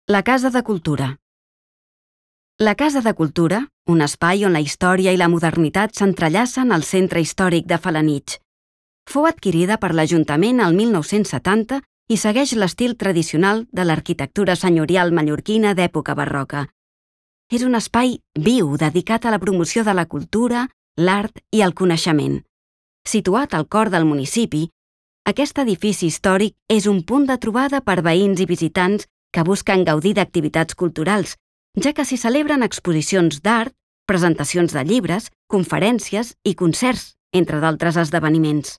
La Casa de Cultura. La Casa de Cultura, un espai on la història i la modernitat s'entrellacen al centre històric de Felanitx. Fou adquirida per l'Ajuntament el 1970 i segueix l'estil tradicional de l'arquitectura senyorial mallorquina d'època barroca. És un espai viu dedicat a la promoció de la cultura, l'art i el coneixement. Situat al cor del municipi, aquest edifici històric és un punt de trobada per veïns i visitants que busquen gaudir d'activitats culturals, ja que s'hi celebren exposicions d'art, presentacions de llibres, conferències i concerts, entre d'altres esdeveniments.